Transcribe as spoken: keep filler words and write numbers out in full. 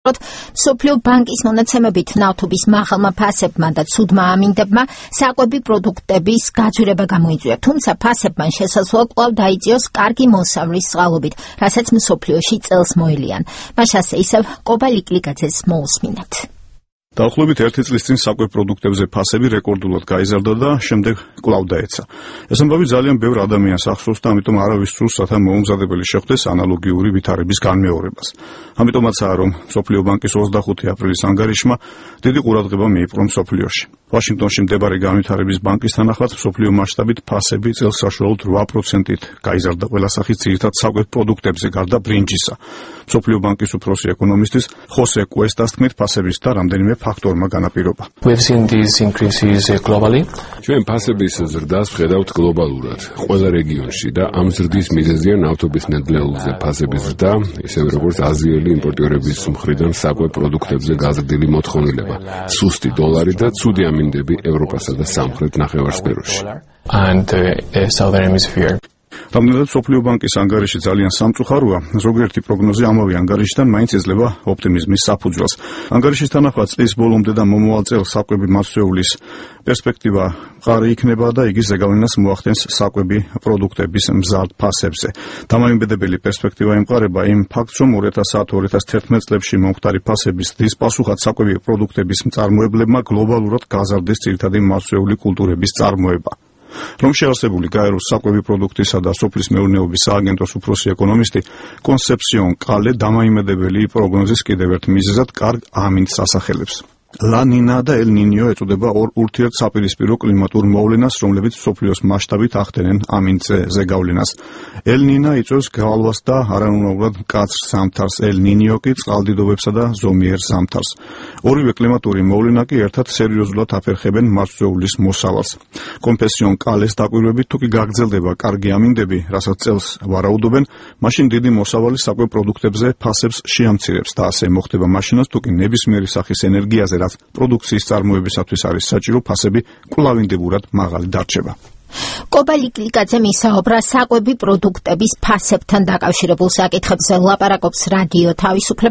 ვუსაუბროთ მსოფლიო ბანკის მონაცემებით ნავთობის მაღალმა ფასებმა და ცუდმა ამინდებმა საკვები პროდუქტების გაძვირება გამოიწვია, თუმცა ფასებმა შესაძლოა კვლავ დაიწიოს კარგი მოსავლის წყალობით, რასაც მსოფლიოში წელს მოელიან. მას ასე ისევ კობა ლიკლიკაძეს მოусმინათ. დაახლოებით ერთი წლის წინ საკვებ პროდუქტებზე ფასები რეკორდულად გაიზარდა და შემდეგ კვლავ დაეცა. ეს ამბავი ძალიან ბევრ ადამიანს ახსოვს და ამიტომ არავის სურს რათა მოუმზადებელი შეხვდეს ანალოგიური ვითარების განმეორებას. ამიტომაცაა რომ მსოფლიო ბანკის ოცდახუთი აპრილის ანგარიშმა დიდი ყურადღება მიიპყრო მსოფლიოში. ვაშინგტონში მდებარე განვითარების ბანკის თანახმად მსოფლიო მასშტაბით ფასები წელს საშუალოდ რვა პროცენტით გაიზარდა ყველა სახის ძირითად საკვებ პროდუქტებზე გარდა ბრინჯისა. მსოფლიო ბანკის უფროსი ეკონომისტის ხოსე კუესტას თქმით, ფასების და რამდენიმე ფაქტორმა განაპირობა. ჩვენ ფასების ზრდას ვხედავთ გლობალურად, ყველა რეგიონში და ამ ზრდის მიზეზია ნავთობის ნედლეულზე ფასების ზრდა, ისევე როგორც აზიელი იმპორტიორების მხრიდან საკვებ პროდუქტებზე გაზრდილი მოთხოვნილება, სუსტი დოლარი და ცუდი ამინდები ევროპასა და სამხრეთ ნახევარსფეროში. რამდენადაც მსოფლიო ბანკის ანგარიში ძალიან სამწუხაროა, ზოგიერთი პროგნოზი ამავე ანგარიშიდან მაინც ეძლევა ოპტიმიზმის საფუძველს. ანგარიშის თანახმად წლის ბოლომდე და მომავალ წელს საკვები მასწვეულის პერსპექტივა მყარი იქნება და იგი ზეგავლენას მოახდენს საკვები პროდუქტების მზარდ ფასებზე. დამოუკიდებელი პერსპექტივა ემყარება იმ ფაქტს, რომ ორი ათას ათი ორი ათას თერთმეტ წლებში მომხდარი ფასების ზრდის პასუხად საკვები პროდუქტების მწარმოებლებმა გლობალურად გაზარდეს ძირითადი მასწვეული კულტურების წარმოება. რომ შეარსებული გაეროს საკვები პროდუქტისა და სოფლის მეურნეობის სააგენტოს უფროსი ეკონომისტი კონსეფსიონ კალე დამოუკიდებელი პროგნოზის კიდევ ერთ მიზეზად კარგ ამინდს ასახელებს. ლა ნინა და ელ ნინიო ეწოდება ორ ურთიერთსაპირისპირო კლიმატურ მოვლენას, რომლებიც მსოფლიოს მასშტაბით ახდენენ ამინდზე ზეგავლენას. ელ ნინა იწვევს გავალვას და არანორმალურად მკაცრ ზამთარს, ელ ნინიო კი წყალდიდობებსა და ზომიერ ზამთარს. ორივე კლიმატური მოვლენა კი ერთად სერიოზულად აფერხებენ მასწვეულის მოსავალს. კონფესიონ კალეს დაკვირვებით, თუ კი გაგრძელდება კარგი ამინდები, რასაც წელს ვარაუდობენ, მაშინ დიდი მოსავალი საკვებ პროდუქტებზე ფასებს შეამცირებს და ასე მოხდება მაშინაც, თუ კი ნებისმიერი სახის ენერგიაზე რაც პროდუქციის წარმოებისათვის არის საჭირო, ფასები კვლავინდებურად მაღალი დარჩება. კობა ლიკლიკაძე მისაუბრა საკვები პროდუქტების ფასებთან დაკავშირებულ საკითხებზე, ლაპარაკობს რადიო თავისუფლება